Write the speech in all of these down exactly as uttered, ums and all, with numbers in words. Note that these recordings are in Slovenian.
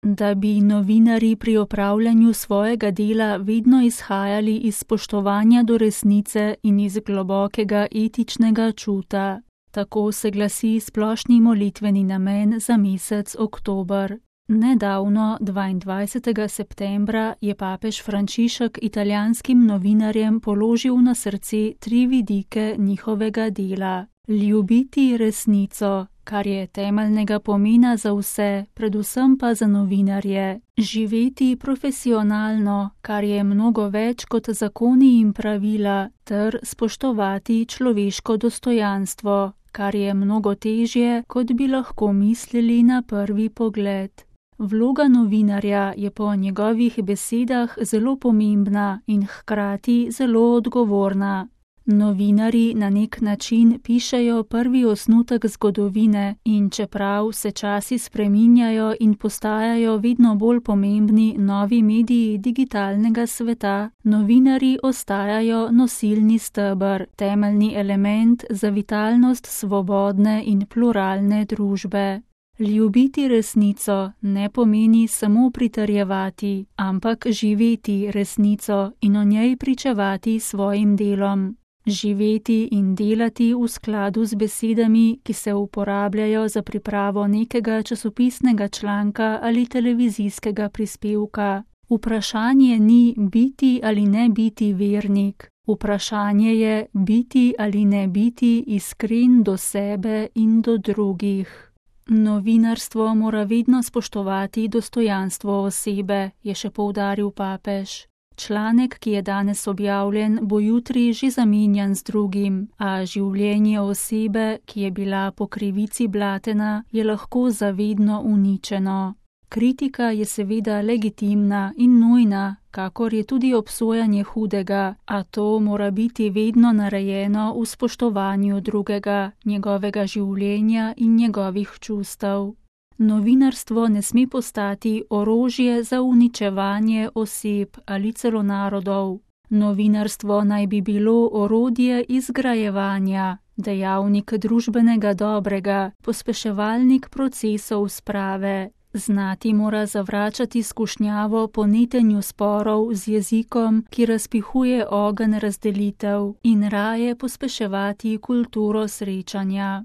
da bi novinarji pri opravljanju svojega dela vedno izhajali iz spoštovanja do resnice in iz globokega etičnega čuta. Tako se glasi splošni molitveni namen za mesec oktober. Nedavno, dvaindvajsetega septembra, je papež Frančišek italijanskim novinarjem položil na srce tri vidike njihovega dela. Ljubiti resnico, kar je temeljnega pomena za vse, predvsem pa za novinarje. Živeti profesionalno, kar je mnogo več kot zakoni in pravila, ter spoštovati človeško dostojanstvo, kar je mnogo težje, kot bi lahko mislili na prvi pogled. Vloga novinarja je po njegovih besedah zelo pomembna in hkrati zelo odgovorna. Novinarji na nek način pišejo prvi osnutek zgodovine in čeprav se časi spreminjajo in postajajo vedno bolj pomembni novi mediji digitalnega sveta, novinarji ostajajo nosilni steber, temeljni element za vitalnost svobodne in pluralne družbe. Ljubiti resnico ne pomeni samo pritrjevati, ampak živeti resnico in o njej pričevati svojim delom. Živeti in delati v skladu z besedami, ki se uporabljajo za pripravo nekega časopisnega članka ali televizijskega prispevka. Vprašanje ni biti ali ne biti vernik. Vprašanje je biti ali ne biti iskren do sebe in do drugih. Novinarstvo mora vedno spoštovati dostojanstvo osebe, je še poudaril papež. Članek, ki je danes objavljen, bo jutri že zamenjan z drugim, a življenje osebe, ki je bila po krivici blatena, je lahko zavedno uničeno. Kritika je seveda legitimna in nujna, kakor je tudi obsojanje hudega, a to mora biti vedno narejeno v spoštovanju drugega, njegovega življenja in njegovih čustev. Novinarstvo ne sme postati orožje za uničevanje oseb ali celo narodov. Novinarstvo naj bi bilo orodje izgrajevanja, dejavnik družbenega dobrega, pospeševalnik procesov sprave. Znati mora zavračati skušnjavo po netenju sporov z jezikom, ki razpihuje ogenj razdelitev, in raje pospeševati kulturo srečanja.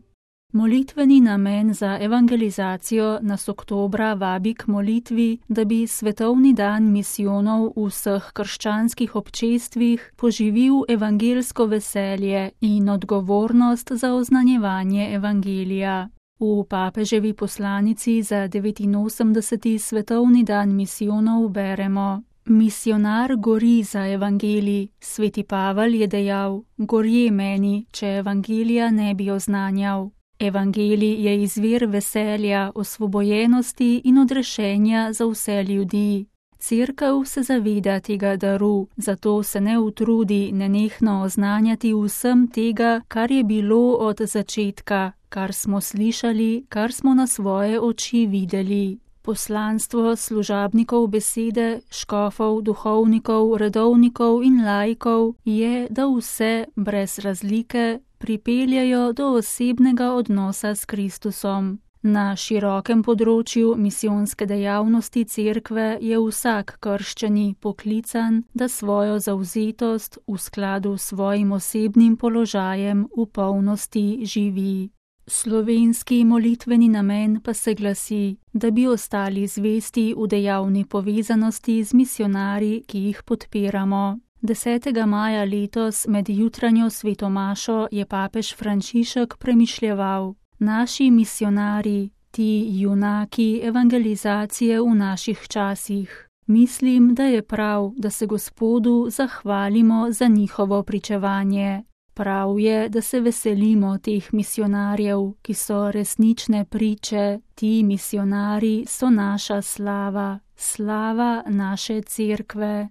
Molitveni namen za evangelizacijo nas oktobra vabi k molitvi, da bi svetovni dan misijonov v vseh krščanskih občestvih poživil evangelsko veselje in odgovornost za oznanjevanje evangelija. V papeževi poslanici za devetinosemdeseti svetovni dan misijonov beremo: Misionar gori za evangelij, sveti Pavel je dejal: gorje meni, če evangelija ne bi oznanjal. Evangelij je izvir veselja, osvobojenosti in odrešenja za vse ljudi. Cerkev se zaveda tega daru, zato se ne utrudi nenehno oznanjati vsem tega, kar je bilo od začetka, kar smo slišali, kar smo na svoje oči videli. Poslanstvo služabnikov besede, škofov, duhovnikov, redovnikov in laikov je, da vse, brez razlike, pripeljajo do osebnega odnosa s Kristusom. Na širokem področju misijonske dejavnosti cerkve je vsak krščani poklican, da svojo zavzetost v skladu s svojim osebnim položajem v polnosti živi. Slovenski molitveni namen pa se glasi, da bi ostali zvesti v dejavni povezanosti z misionarji, ki jih podpiramo. desetega maja letos med jutranjo svetomašo je papež Frančišek premišljeval: naši misionarji, ti junaki evangelizacije v naših časih. Mislim, da je prav, da se Gospodu zahvalimo za njihovo pričevanje. Prav je, da se veselimo teh misionarjev, ki so resnične priče. Ti misionarji so naša slava, slava naše cerkve.